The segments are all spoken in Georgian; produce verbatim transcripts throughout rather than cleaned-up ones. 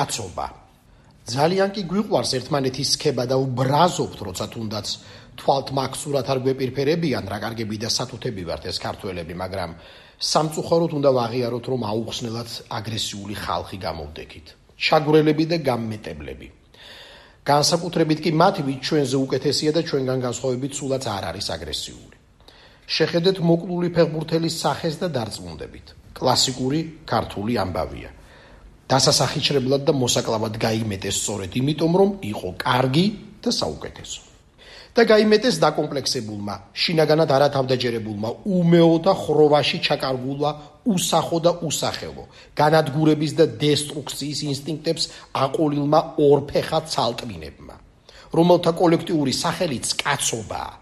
კაცობა. ძალიან კი გვიყვარს ერთმანეთის სქება და ვბრაზობთ, როცა თუნდაც თვალთ მაქსურად არ გვეპირფერებიან, რა კარგები და სათუთები ვართ ეს ქართველები, მაგრამ სამწუხაროდ უნდა ვაღიაროთ, რომ აუხსნელად აგრესიული ხალხი გამოვდექით. ჩაგვრელები და გამმეტებლები. განსაკუთრებით კი მათი, ვით ჩვენზე უკეთესია და ჩვენგან განსხვავებით სულაც არ არის აგრესიული. შეხედეთ მოკლული ფეხბურთელის სახეს და დარწმუნდებით. კლასიკური ქართული ამბავია. დასასახიჩრებლად და მოსაკლავად გაიმეტეს სწორედ იმიტომ, რომ იყო კარგი და საუკეთესო. და გაიმეტეს დაკომპლექსებულმა, შინაგანად არათავდაჯერებულმა, უმეო და ხროვაში ჩაკარგულმა, უსახო და უსახელო, განადგურების და დესტრუქციის ინსტინქტებს აყოლილმა ორფეხა ცალტვინებმა, რომელთა კოლექტიური სახელიც კაცობაა,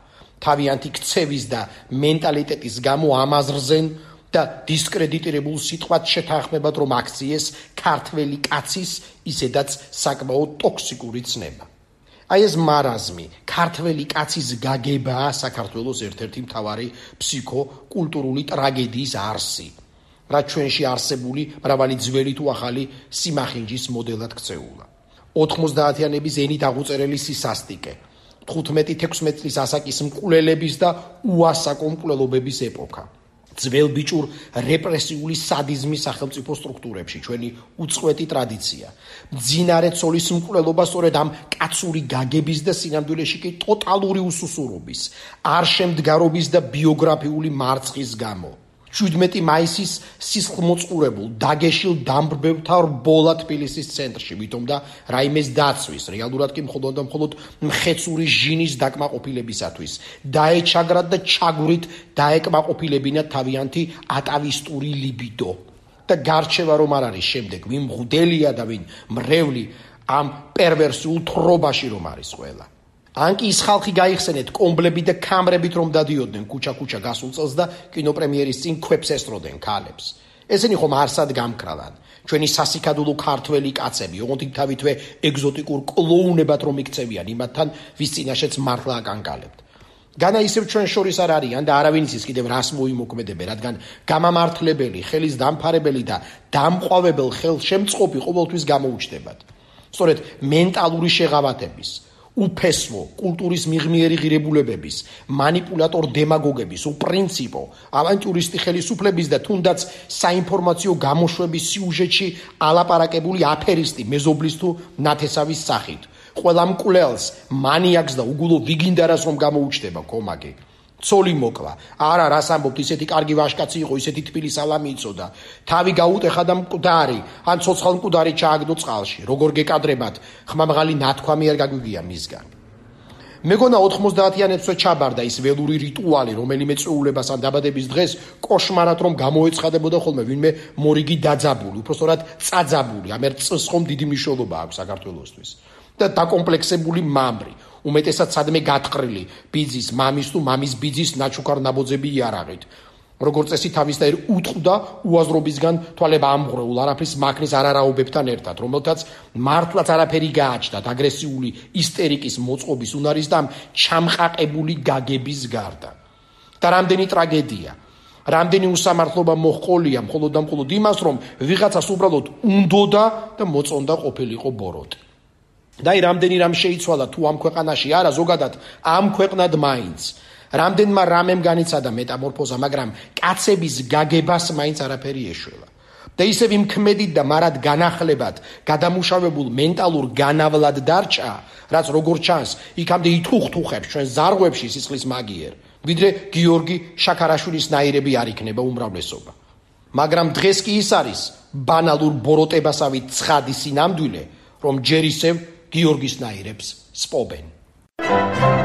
თავიანთი ქცევის და მენტალიტეტის გამო ამაზრზენ და დისკრედიტირებულ სიტყვად შეთანხმებად, რომ აქციეს ქართველი კაცის ისედაც საკმაოდ ტოქსიკური ცნება. აი ეს მარაზმი, ქართველი კაცის გაგებაა საქართველოს ერთ-ერთი მთავარი ფსიქო-კულტურული ტრაგედიის არსი, რაც ჩვენში არსებული მრავალი ძველი თუ ახალი სიმახინჯის მოდელად ქცეულა. ოთხმოცდაათიანების ენით აღუწერელი სისასტიკე, თხუთმეტი-თექვსმეტი წლის ასაკის მკვლელების და უასაკო მკვლელობების ეპოქა. ძველბიჭურ რეპრესიული სადიზმის სახელმწიფო სტრუქტურებში ჩვენი უწყვეტი ტრადიცია. მძინარე ცოლის მკვლელობა სწორედ ამ კაცური გაგების და სინამდვილეში კი ტოტალური უსუსურობის, არშემდგარობის და ბიოგრაფიული მარცხის გამო. შვიდმეტი მაისის სისხლმოწყურებულ, დაგეშილ დამბრბებთა რბოლა თბილისის ცენტრში, ვითომ და რაიმეს დაცვის, რეალურად კი მხოლოდ და მხოლოდ მხეცური ჟინის დაკმაყოფილებისათვის, დაეჩაგრათ და ჩაგვრით დაეკმაყოფილებინათ თავიანთი ატავისტური ლიბიდო. და გარჩევა რომ არ არის შემდეგ, ვინ მღვდელია და ვინ მრევლი ამ პერვერსიულ თრობაში რომ არის ყველა. ან კი ის ხალხი გაიხსენეთ კომბლებით და კამრებით რომ დადიოდნენ ქუჩა-ქუჩა გასულ წელს და კინოპრემიერის წინ ქვებს ესწროდნენ ქალებს. ესენი ხომ არსად გამკრალან. ჩვენი სასიკადულო ქართველი კაცები, ოღონდ თავითვე ეგზოტიკურ კლოუნებად რომ იქცევიან იმათთან, ვის წინაშეც მართლა აკანკალებთ. განა ისევ ჩვენ შორის არ არიან და არავინ იცის კიდევ რას მოიმოქმედებენ, რადგან გამამართლებელი, ხელის დამფარებელი და დამყვავებელ ხელშემწყობი ყოველთვის გამოუჩნდებათ. სწორედ მენტალური შეღავათების, უფესვო, კულტურის მიღმიერი ღირებულებების, მანიპულატორ დემაგოგების, უპრინციპო, ავანტიურისტი ხელისუფლების და თუნდაც საინფორმაციო გამოშვების სიუჟეტში ალაპარაკებული აფერისტი მეზობლის თუ ნათესავის სახით. ყველა მკვლელს, მანიაკს და უგულო ვიგინდარას რომ გამოუჩნდება კომაკი. ცოლი მოკლა. არა, რას ამბობთ, ისეთი კარგი ვაჟკაცი იყო, ისეთი თბილი სალამი იცოდა. თავი გაუტეხა და მკვდარი, ან ცოცხალ მკვდარი ჩააგდო წყალში. როგორ გეკადრებათ, ხმამაღალი ნათქვამი არ გაგვიგია მისგან. მეგონა ოთხმოცდაათიანებსვე ჩაბარდა ის ველური რიტუალი, რომელიმე წვეულებას ან დაბადების დღეს კოშმარად რომ გამოეცხადებოდა ხოლმე ვინმე მორიგი დაძაბული, უпростоრად წაძაბული, ამერ წს ხომ დიდი მნიშვნელობა აქვს საქართველოსთვის. და დაკომპლექსებული მამრი, უმეტესად სადმე გატყრილი, ბიძის, მამის თუ მამის ბიძის ნაჩუქარ ნაბოძები იარაღით. როგორც წესი თავისდაირ უტყდა უაზრობისგან თვალება ამღვრეულ არაფრის მაქნის არარაობებთან ერთად, რომელთაც მართლაც არაფერი გააჩნდათ აგრესიული ისტერიკის მოწყობის უნარის და ჩამყაყებული გაგების გარდა. და რამდენი ტრაგედია, რამდენი უსამართლობა მოჰყოლია მხოლოდ და მხოლოდ იმას, რომ ვიღაცას უბრალოდ უნდოდა და მოწონდა ყოფილიყო ბოროტი. და აი რამდენი რამ შეიცვალა თუ ამ ქვეყანაში არა, ზოგადად ამ ქვეყნად მაინც. რამდენმა რამემ განიცადა მეტამორფოზა, მაგრამ კაცების გაგებას მაინც არაფერი ეშველა. და ისევ იმ ქმედით და მარად განახლებად გადამუშავებულ მენტალურ განავლად დარჩა, რაც როგორც ჩანს, იქამდე ითუხთუხებს ჩვენ ზარღვებში სისხლის მაგიერ, ვიდრე გიორგი შაქარაშვილის ნაირები არ იქნება უმრავლესობა. მაგრამ დღეს კი ის არის ბანალურ ბოროტებასავით ცხადი სინამდვილე, რომ ჯერ ისევ გიორგის ნაირებს სპობენ.